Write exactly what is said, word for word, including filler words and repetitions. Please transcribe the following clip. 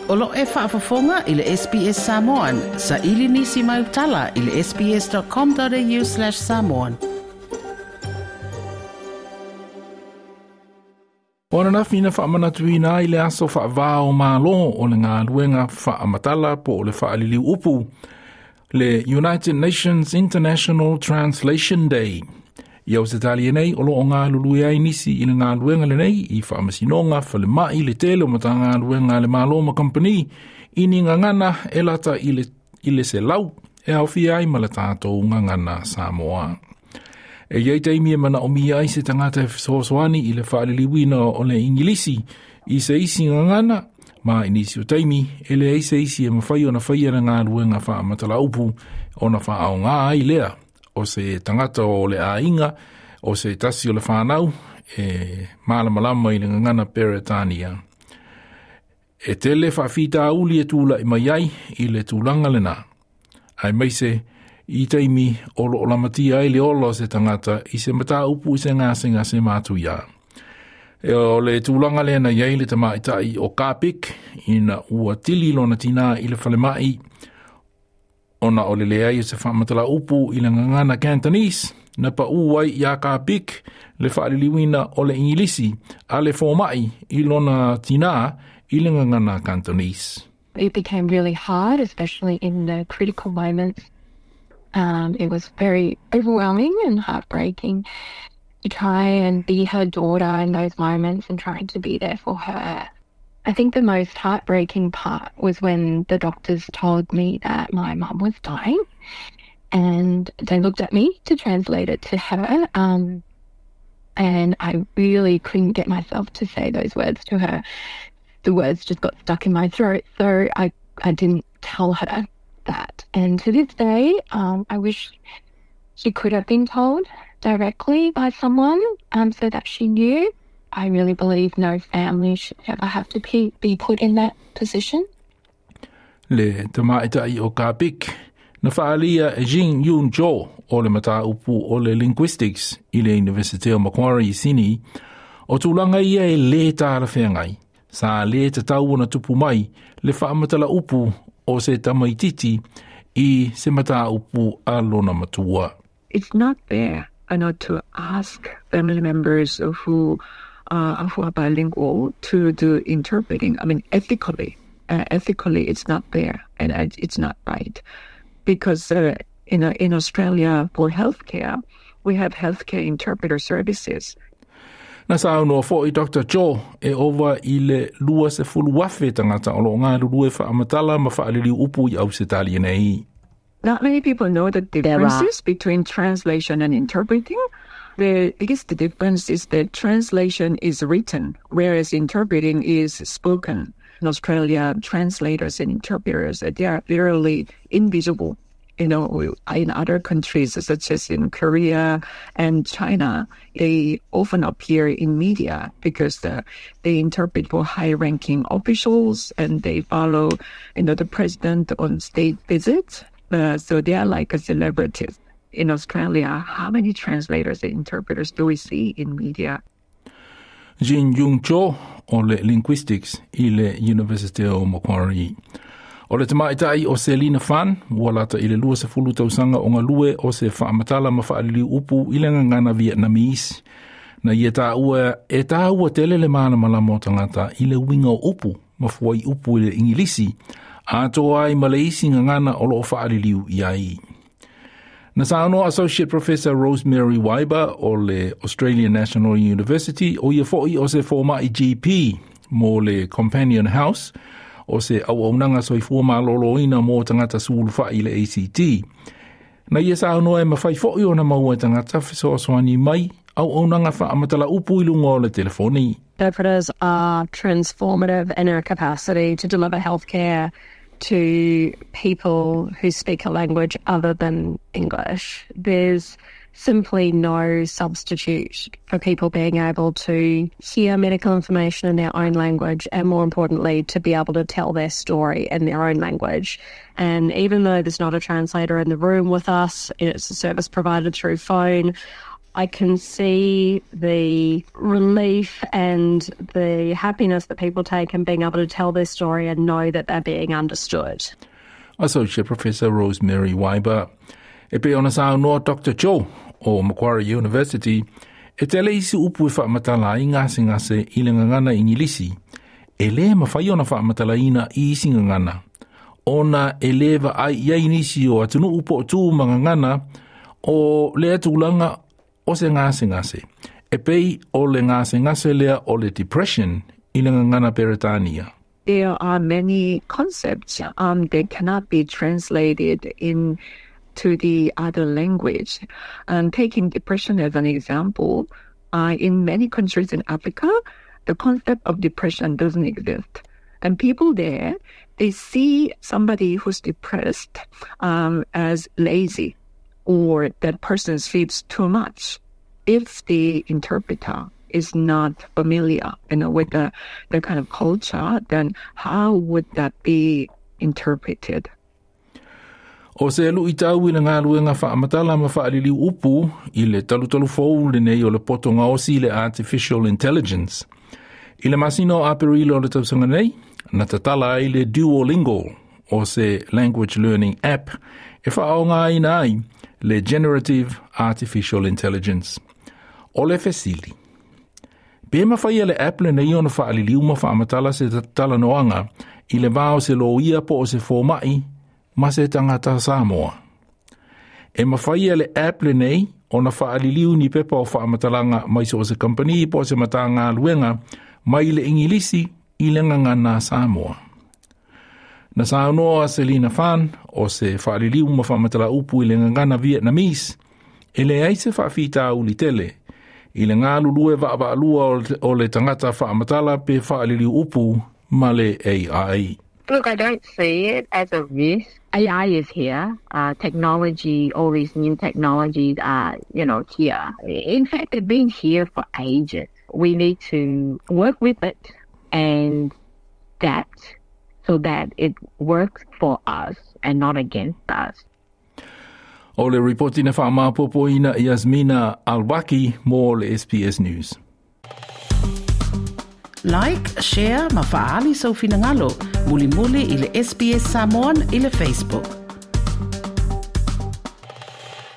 O lo e faafofoga i le S B S Samoan, sa ili nisi mai utala i le S B S dot com dot A U slash samoan. O ananafi na faamanatuina ai le aso faava-o-Malo o le galuega faamatala po o le faaliliu upu, le United Nations International Translation Day. I Ausetalia nei, o loo galulue ai nisi i le galuega lenei i faamasinoga, falemai, le tele o matagaluega a le Malo ma kamupani i ni gagana e lata i le, i le selau e aofia ai ma le tatou gagana Samoa. E iai taimi e manaomia ai se tagata e fesoasoani i le faaliliuina o le Igilisi i se isi gagana, ma i nisi o taimi e leai se isi e mafai ona faia le galuega faamatala upu ona faaaoga ai lea o se tagata o le aiga o se tasi o le fanau e malamalama i le gagana Peretania. E tele faafitauli e tula'i mai ai i le tulaga lena, aemaise i taimi o loo lamatia ai le ola o se tagata i se mataupu i se gasegase matuia. E o le tulaga lea na iai le tamaita'i o Kapik ina ua tili lona tinā i le falema'i ona o le leai o se faamatala upu i le gagana Cantonese, na paū ai iā Kapik le faaliliuina o le Igilisi a le foma'i i lona tinā i le gagana Cantonese. It became really hard, especially in the critical moments. Um, it was very overwhelming and heartbreaking to try and be her daughter in those moments and trying to be there for her. I think the most heartbreaking part was when the doctors told me that my mum was dying and they looked at me to translate it to her. Um, and I really couldn't get myself to say those words to her. The words just got stuck in my throat. So I, I didn't tell her that. And to this day, um, I wish she could have been told directly by someone um, so that she knew. I really believe no family should ever have to be, be put in that position. Le tamaita'i o Kapik na faaalia e Jing Yun Jo o le mataupu o le Linguistics i le University o Macquarie i Sydney, o tulaga ia e lē talafeagai sa lē tatau ona tupu mai le faamatala upu o se tamaititi i se mataupu a lona matua. It's not fair uh, not to ask family members who uh, who are bilingual to do interpreting. I mean, ethically, uh, ethically, it's not fair and it's not right because uh, in in Australia for healthcare, we have healthcare interpreter services. Na saunoa fo'i Doctor Joe e ova i le lua sefulu afe tagata o loo galulue faamatala ma faaliliu upu i Ausetalia nei. Not many people know the differences between translation and interpreting. The biggest difference is that translation is written, whereas interpreting is spoken. In Australia, translators and interpreters, they are literally invisible. You know, in other countries, such as in Korea and China, they often appear in media because the, they interpret for high-ranking officials and they follow, you know, the president on state visits. Uh, so they are like a celebrities. In Australia, how many translators and interpreters do we see in media? Jin Jung Cho o le Linguistics i le University o Macquarie. O le tamaita'i o Selina Fan, ua lata i le lua sefulu tausaga o galue o se faamatala ma faaliliu upu i le gagana Vietnamese. Na ia taua e taua tele le malamalama o tagata i le uiga o upu ma fuaiupu i le Igilisi, atoa ai ma le isi gagana o loo faaliliu i ai. Na saunoa Associate Professor Rosemary Wyber o le Australian National University, o ia fo'i o se foma'i G P mo le Companion House, o se auaunaga soifua malōlōina mo tagata sulufai i le A C T. Na ia saunoa e mafai fo'i ona maua e tagata fesoasoani mai auaunaga faamatala upu i luga o le telefoni. Interpreters are transformative in our capacity to deliver healthcare to people who speak a language other than English. There's simply no substitute for people being able to hear medical information in their own language and, more importantly, to be able to tell their story in their own language. And even though there's not a translator in the room with us, it's a service provided through phone, I can see the relief and the happiness that people take in being able to tell their story and know that they're being understood. Associate Professor Rosemary Wyber. E pei ona saunoa Doctor Joe o Macquarie University, e tele isi upu e faamatala ai gasegase i le gagana Igilisi, e lē mafai ona faamatalaina i isi gagana, ona e lē vaai i ai nisi o atunuu po o tu ma gagana o lea tulaga o se gasegase. E pei o le gasegase lea o le depression i le gagana Peretania. There are many concepts um, that cannot be translated in to the other language. And taking depression as an example, uh, in many countries in Africa, the concept of depression doesn't exist. And people there, they see somebody who's depressed um, as lazy or that person sleeps too much. If the interpreter is not familiar, you know, with the, the kind of culture, then how would that be interpreted? O se luʻitau i le galuega faamatala ma faaliliu upu i le talutalu fou lenei o le poto gaosi le artificial intelligence. I le masina o Aperila o le tausaga nei, na tatala ai le Duolingo o se language learning app e faaaogaina ai le generative artificial intelligence. O le fesili. Pe mafai e le app lenei ona faaliliu ma faamatala se talanoaga i le va o se loia po o se fomaʻi ma se tagata Samoa. E mafai e le app lenei ona faaliliu ni pepa o faamatalaga mai so o se kampani po o se matagaluega mai le Igilisi i le gagana Samoa. Na saunoa Selina Fan o se faaliliu ma faamatala upu i le gagana Vietnamese, e leai se faafitauli tele i le galulue vaavaalua o le tagata faamatala pe faaliliu upu ma le A I. Look, I don't see it as a risk. A I is here. Uh, technology, all these new technologies are, you know, here. In fact, they've been here for ages. We need to work with it and adapt so that it works for us and not against us. O le ripoti na faamaopoopoina Yasmina Alwaki mo le S B S News. Like, share ma faaali sou finagalo. Mulimuli i le S B S Samoan i le Facebook.